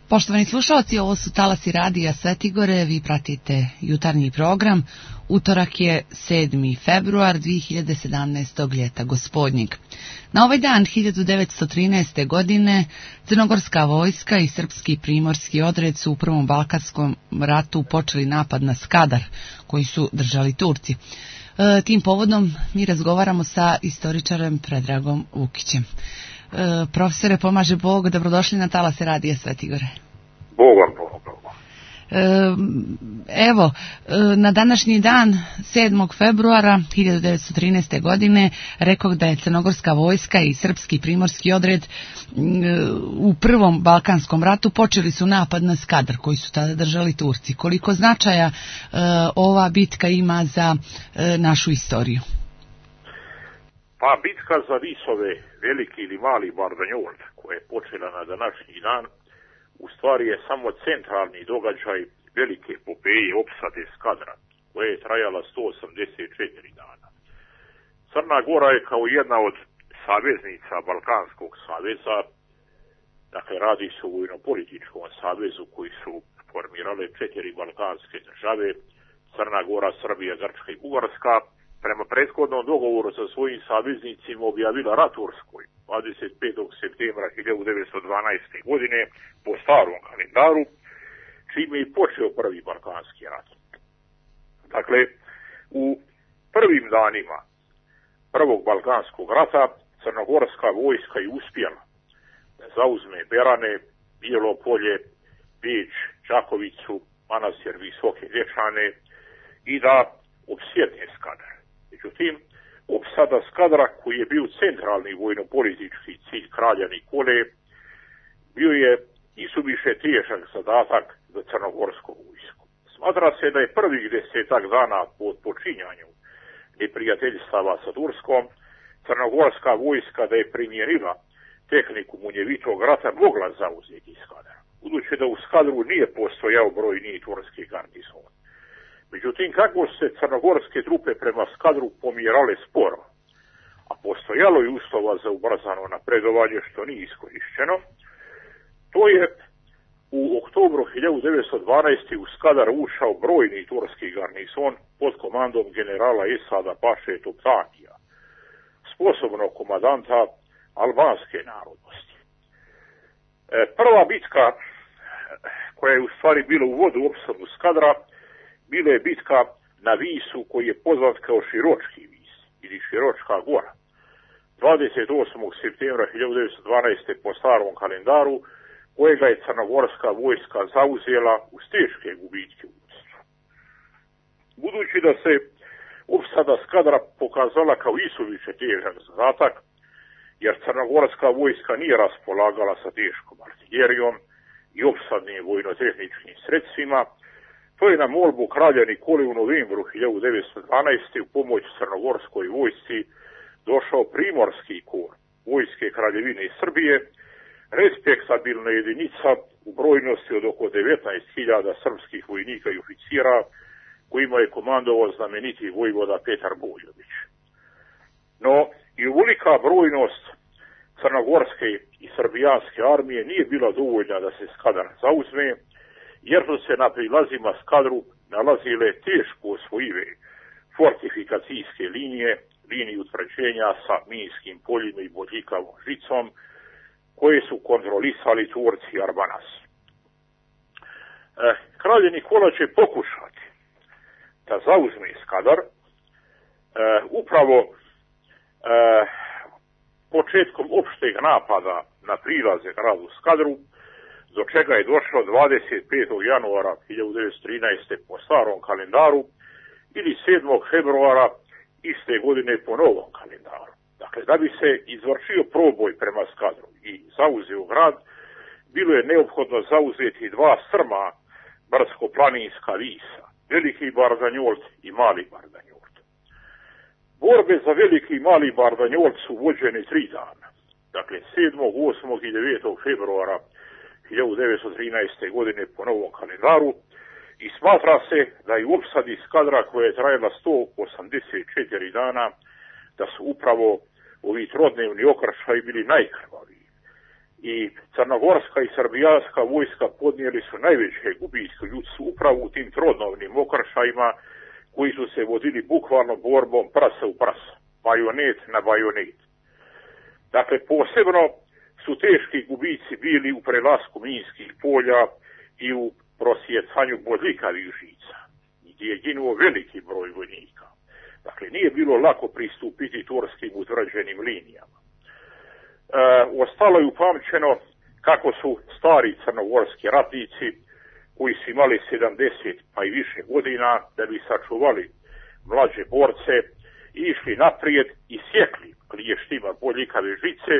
Poštovani slušalci, ovo su talasi radija Svetigore, vi pratite jutarnji program. Utorak je 7. februar 2017. ljeta gospodnjeg. Na ovaj dan 1913. godine crnogorska vojska i srpski primorski odred su u Prvom balkanskom ratu počeli napad na Skadar koji su držali Turci. Tim povodom mi razgovaramo sa istoričarem Predragom Vukićem. Profesore, pomaže Bog, dobrodošli na talase radija Svetigore. Bog vam pomogu. Evo, na današnji dan, 7. februara 1913. godine, rekao da je crnogorska vojska i srpski primorski odred u Prvom balkanskom ratu počeli su napad na Skadar koji su tada držali Turci. Koliko značaja ova bitka ima za našu istoriju? Pa bitka za Visove, veliki ili mali Bardanjol, koja je počela na današnji dan, u stvari je samo centralni događaj velike epopeje opsade Skadra, koja je trajala 184 dana. Crna Gora je kao jedna od saveznica Balkanskog saveza, dakle radi se o vojno-političkom savezu koji su formirale 4 balkanske države, Crna Gora, Srbija, Grčka i Bugarska, prema prethodnom dogovoru sa svojim saveznicima objavila rat Turskoj 25. septembra 1912. godine po starom kalendaru, čime je počeo Prvi balkanski rat. Dakle, u prvim danima Prvog balkanskog rata crnogorska vojska je uspjela da zauzme Berane, Bijelo Polje, Beč, Čakovicu, Manastir Visoke Dečane i da opsjedne Skadar. Međutim, opsada Skadra, koji je bio centralni vojno-politički cilj kralja Nikole, bio je isuviše težak zadatak za crnogorsku vojsku. Smatra se da je prvih 10 dana po počinjanju neprijateljstava sa Turskom, crnogorska vojska da je primjerila tehniku munjevitog rata mogla zauzeti Skadar, budući da u Skadru nije postojao brojni turski garnizon. Međutim, kako se crnogorske trupe prema Skadru pomjerale sporo, a postojalo je uslova za ubrzano napredovanje što nije iskorišćeno, to je u oktobru 1912. u Skadar ušao brojni turski garnizon pod komandom generala Esada Paše Toptanija, sposobnog komadanta albanske narodnosti. Prva bitka, koja je u stvari bila u vodu opsadu Skadra, bila je bitka na Visu koji je poznat kao Širočki vis ili Širočka gora. 28. septembra 1912. po starom kalendaru, kojega je crnogorska vojska zauzela uz teške gubitke u vodstvu. Budući da se opsada Skadra pokazala kao isuviše težak zadatak, jer crnogorska vojska nije raspolagala sa teškom artiljerijom i opsadnim vojnotehničkim sredstvima, to je na molbu kralja Nikole u novembru 1912. u pomoć crnogorskoj vojsci došao primorski kor vojske Kraljevine Srbije, respektabilna jedinica u brojnosti od oko 19.000 srpskih vojnika i oficira, kojima je komandovao znameniti vojvoda Petar Bojović. No, i uvolika brojnost crnogorske i srbijanske armije nije bila dovoljna da se Skadar zauzme, jer su se na prilazima Skadru nalazile teško osvojive fortifikacijske linije utvrđenja sa minskim poljima i bodljikavom žicom, koje su kontrolisali Turci i Arbanasi. Kralj Nikola će pokušati da zauzme Skadar upravo početkom opšteg napada na prilaze gradu Skadru, do čega je došlo 25. januara 1913. po starom kalendaru ili 7. februara iste godine po novom kalendaru. Dakle, da bi se izvršio proboj prema Skadru i zauzeo grad, bilo je neophodno zauzeti dva strma brdsko-planinska visa, Veliki Bardanjolt i Mali Bardanjolt. Borbe za Veliki i Mali Bardanjolt su vođene 3 dana, dakle 7., 8. i 9. februara 1913. godine po novom kalendaru, i smatra se da je u opsadi Skadra koja je trajala 184 dana, da su upravo ovi trodnevni okršaji bili najkrvaviji. i crnogorska i srbijanska vojska podnijeli su najveće gubitke ljudstvu upravo u tim trodnovnim okršajima koji su se vodili bukvalno borbom prasa u prasa, bajonet na bajonet. Dakle, posebno su teški gubici bili u prelasku minskih polja i u prosjecanju bodljikavih žica, gdje je ginuo veliki broj vojnika. Dakle, nije bilo lako pristupiti turskim utvrđenim linijama. Ostalo je upamćeno kako su stari crnogorski ratnici, koji su imali 70 pa i više godina, da bi sačuvali mlađe borce, išli naprijed i sjekli kliještima bodljikave žice.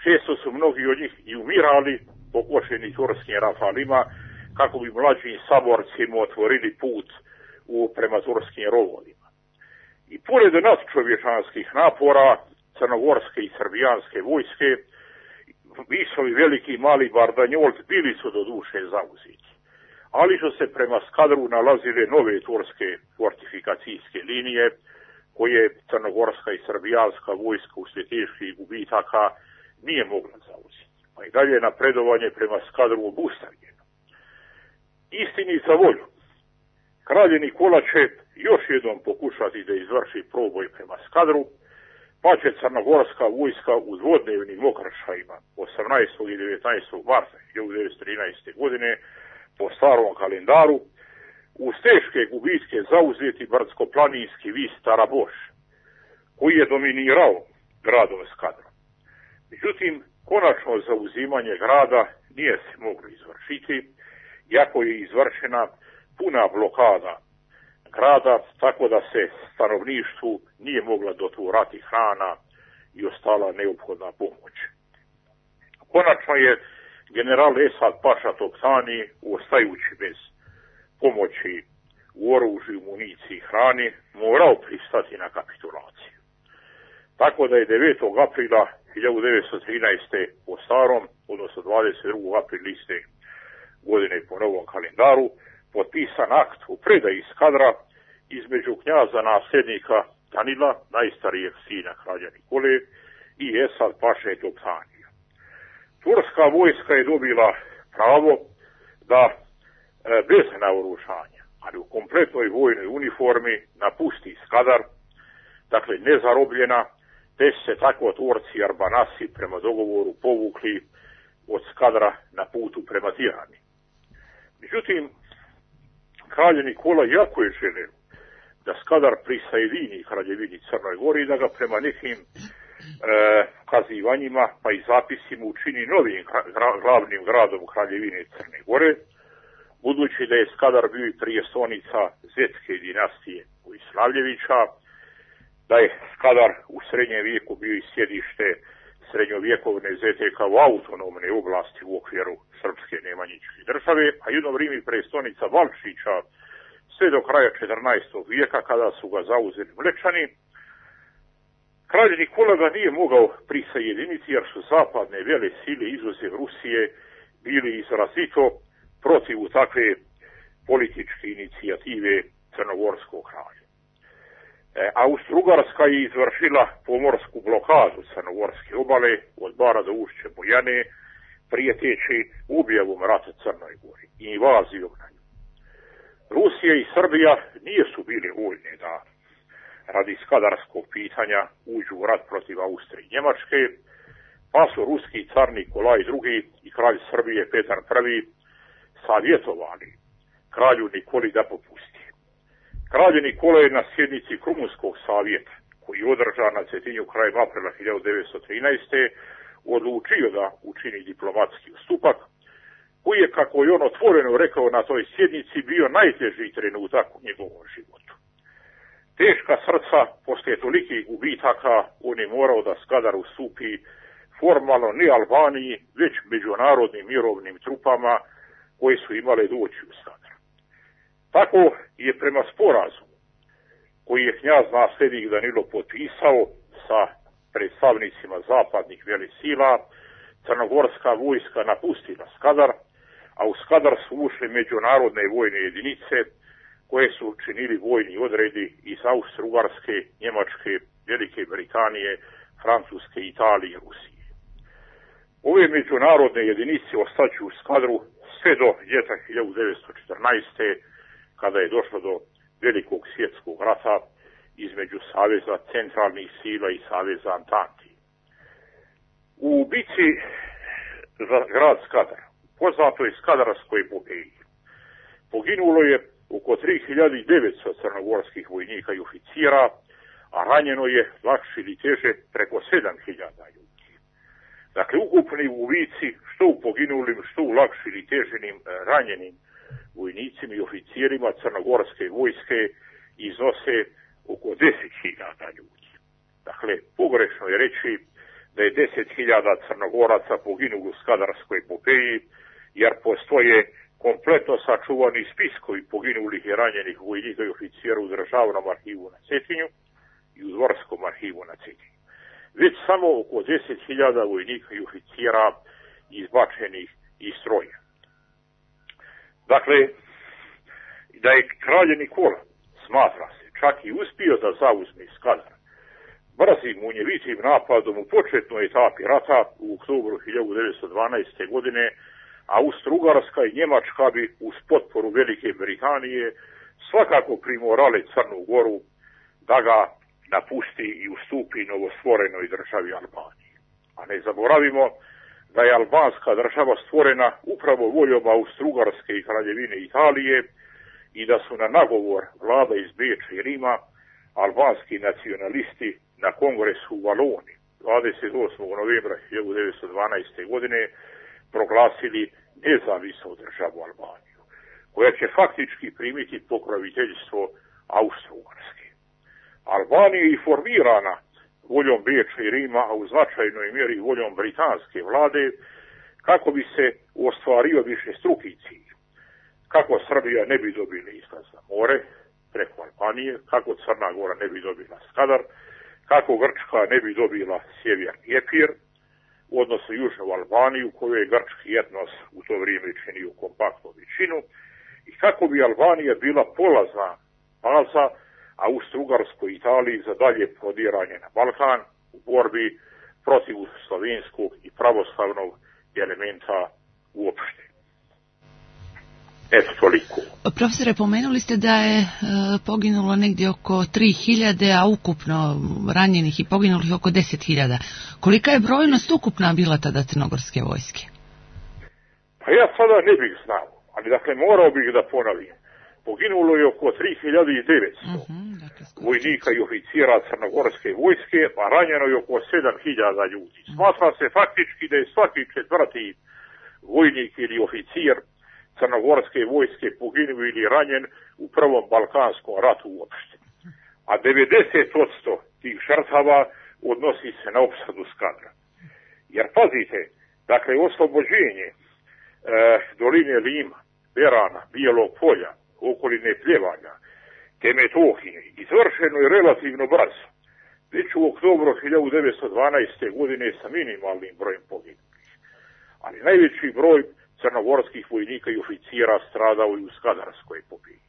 Često su mnogi od njih i umirali pokošeni turskim rafalima, kako bi mlađim saborcima otvorili put prema turskim rovovima. I pored nadčovječanskih napora crnogorske i srbijanske vojske, Visovi, Veliki i Mali Bardanjolt bili su do duše zauzeti, ali su se prema Skadru nalazile nove turske fortifikacijske linije, koje crnogorska i srbijanska vojska uslijed teških gubitaka nije mogla zauzeti, pa i dalje napredovanje prema Skadru obustavljeno. Istini za volju, kralj Nikola će još jednom pokušati da izvrši proboj prema Skadru, pa će crnogorska vojska u dvodnevnim okršajima 18. i 19. marta 1913. godine po starom kalendaru uz teške gubitke zauzeti brdsko-planinski vis Taraboš, koji je dominirao gradom Skadrom. Međutim, konačno zauzimanje grada nije se moglo izvršiti, iako je izvršena puna blokada grada, tako da se stanovništvu nije mogla doturati hrana i ostala neophodna pomoć. Konačno je general Esad Paša Toptani, ostajući bez pomoći u oružju, municiji i hrani, morao pristati na kapitulaciju. Tako da je 9. aprila 1913. po starom, odnosno 22. aprila iste godine po novom kalendaru, potpisan akt u predaji Skadra između knjaza nasljednika Danila, najstarijeg sina kralja Nikole, i Esad Paše Toptanija. Turska vojska je dobila pravo da bez naoružanja, ali u kompletnoj vojnoj uniformi, napusti Skadar, dakle nezarobljena, te se tako Turci i Arbanasi prema dogovoru povukli od Skadra na putu prema Tirani. Međutim, kralj Nikola jako je želeo da Skadar prisajedini kraljevini Crnoj Gori i da ga prema nekim kazivanjima pa i zapisima učini novim glavnim gradom kraljevine Crne Gore, budući da je Skadar bio i prijestolnica Zetske dinastije Vojslavljevića, da je Skadar u srednjem vijeku bio i sjedište srednjovjekovne ZTK u autonomne oblasti u okviru srpske nemanjičke države, a jedno vrijeme i prestolnica Valčića sve do kraja 14. vijeka kada su ga zauzeli Mlečani. Kralj Nikola ga nije mogao prisajediniti jer su zapadne vele sile izuzev Rusije bili izrazito protiv takve političke inicijative crnogorskog kralja. Austro-Ugarska je izvršila pomorsku blokadu crnogorske obale od Bara do ušća Bojane, prijeteći objavom rata Crnoj Gori i invazijom na nju. Rusija i Srbija nisu bili voljne da radi skadarskog pitanja uđu u rat protiv Austrije i Njemačke, pa su ruski car Nikolaj II i kralj Srbije Petar I savjetovali kralju Nikoli da popusti. Kralj Nikola je na sjednici Krumunskog savjeta, koji je održan na Cetinju krajem aprila 1913. odlučio da učini diplomatski ustupak, koji je, kako je on otvoreno rekao na toj sjednici, bio najteži trenutak u njegovom životu. Teška srca, poslije tolikih gubitaka, on je morao da Skadar ustupi formalno ne Albaniji, već međunarodnim mirovnim trupama koje su imale doći u Skadar. Tako je prema sporazumu koji je knjaz nasljednik Danilo potpisao sa predstavnicima zapadnih velesila, crnogorska vojska napustila Skadar, a u Skadar su ušli međunarodne vojne jedinice koje su činili vojni odredi iz Austro-Ugarske, Njemačke, Velike Britanije, Francuske, Italije i Rusije. Ove međunarodne jedinice ostaću u Skadru sve do ljeta 1914. kada je došlo do Velikog svjetskog rata između Saveza centralnih sila i Saveza Antanti. U bici za grad Skadar, poznatoj Skadarskoj epopeji, poginulo je oko 3900 crnogorskih vojnika i oficira, a ranjeno je lakše ili teže preko 7000 ljudi. Dakle, ukupni gubici, što u poginulim, što u lakše ili teženim ranjenim vojnicima i oficirima crnogorske vojske iznose oko 10.000 ljudi. Dakle, pogrešno je reći da je 10.000 Crnogoraca poginulo u Skadarskoj epopeji, jer postoje kompletno sačuvani spiskovi poginulih i ranjenih vojnika i oficira u Državnom arhivu na Cetinju i u Dvorskom arhivu na Cetinju. Već samo oko 10.000 vojnika i oficira izbačenih iz stroja. Dakle, da je kralj Nikola, smatra se, čak i uspio da zauzme Skadar brzim munjevitim napadom u početnoj etapi rata u oktobru 1912. godine, Austro-Ugarska i Njemačka bi uz potporu Velike Britanije svakako primorale Crnu Goru da ga napusti i ustupi novostvorenoj državi Albaniji. A ne zaboravimo da je albanska država stvorena upravo voljom Austro-Ugarske i Kraljevine Italije i da su na nagovor vlada iz Beča i Rima albanski nacionalisti na kongresu u Valoni 28. novembra 1912. godine proglasili nezavisnu državu Albaniju, koja će faktički primiti pokroviteljstvo Austro-Ugarske. Albanija je formirana voljom Beča i Rima, a u značajnoj mjeri voljom britanske vlade, kako bi se ostvario višestruki cilj. Kako Srbija ne bi dobila izlaz na more preko Albanije, kako Crna Gora ne bi dobila Skadar, kako Grčka ne bi dobila sjeverni Epir, odnosno južnu Albaniju, koju je grčki etnos u to vrijeme činio kompaktnu većinu, i kako bi Albanija bila polazna baza Austro-Ugarskoj Italiji za dalje prodiranje na Balkan u borbi protiv slovenskog i pravoslavnog elementa uopšte. Eto, toliko. Profesore, pomenuli ste da je poginulo negdje oko 3.000, a ukupno ranjenih i poginulih oko 10.000. Kolika je brojnost ukupna bila tada crnogorske vojske? Pa ja sada ne bih znao, ali dakle morao bih da ponovim. Poginulo je oko 3.900 vojnika i oficira crnogorske vojske, a ranjeno je oko 7.000 ljudi. Smatra se faktički da je svaki četvrti vojnik ili oficir crnogorske vojske poginuo ili ranjen u prvom Balkanskom ratu uopšte. A 90% tih žrtava odnosi se na opsadu Skadra. Jer pazite, dakle, oslobođenje doline Lima, Berana, Bijelog polja, okoline Pljevanja, te Metohije izvršeno je relativno brzo, već u oktobru 1912. godine sa minimalnim brojem poginulih. Ali najveći broj crnogorskih vojnika i oficira stradao i u Skadarskoj epopeji.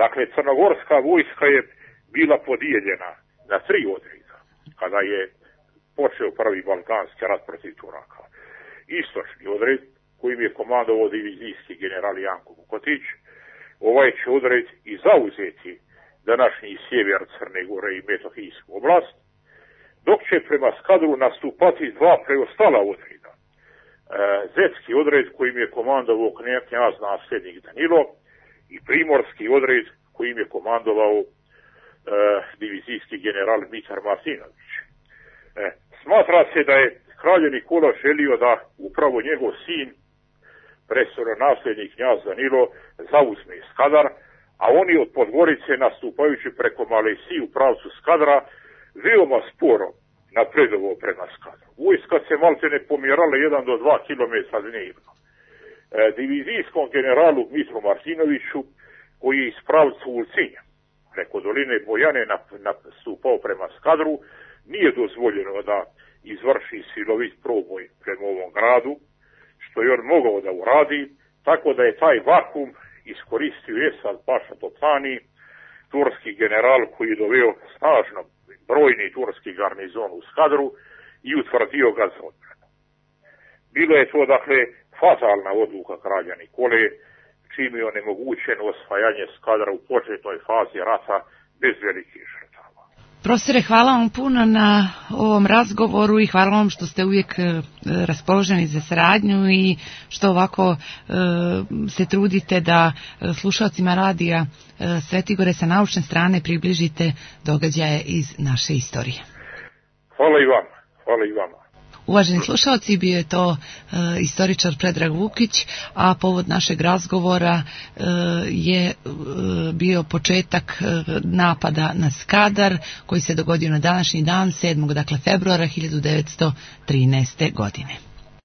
Dakle, crnogorska vojska je bila podijeljena na 3 odreda kada je počeo prvi Balkanski rat protiv Turaka. Istočni odred, kojim je komandovao divizijski general Janko Vukotić, ovaj će odred i zauzeti današnji sjever Crne Gore i Metohijsku oblast, dok će prema Skadru nastupati 2 preostala odreda. Zetski odred kojim je komandovao knjaz nasljednik Danilo i primorski odred kojim je komandovao divizijski general Mitar Martinović. Smatra se da je kralj Nikola želio da upravo njegov sin, prestolonasljednik knjaz Danilo, zauzme Skadar, a oni od Podgorice nastupajući preko Malesije u pravcu Skadra veoma sporo napredovao prema Skadru. Vojska se maltene pomjerala 1 do 2 km dnevno. Divizijskom generalu Mitru Martinoviću, koji je iz pravca Ulcinja preko doline Bojane nastupao prema Skadru, nije dozvoljeno da izvrši silovit proboj prema ovom gradu, što je on mogao da uradi, tako da je taj vakum iskoristio Esad Paša Topani, turski general koji je doveo snažno brojni turski garnizon u Skadru i utvrdio ga za odbranu. Bilo je to, dakle, fatalna odluka kralja Nikole, čim je onemogućeno osvajanje Skadra u početnoj fazi rata bez velikih žrtava. Profesore, hvala vam puno na ovom razgovoru i hvala vam što ste uvijek raspoloženi za saradnju i što ovako se trudite da slušalcima radija Svetigore sa naučne strane približite događaje iz naše istorije. Hvala i vama. Hvala i vama. Uvaženi slušalci, bio je to istoričar Predrag Vukić, a povod našeg razgovora je bio početak napada na Skadar koji se dogodio na današnji dan, 7. februara 1913. godine.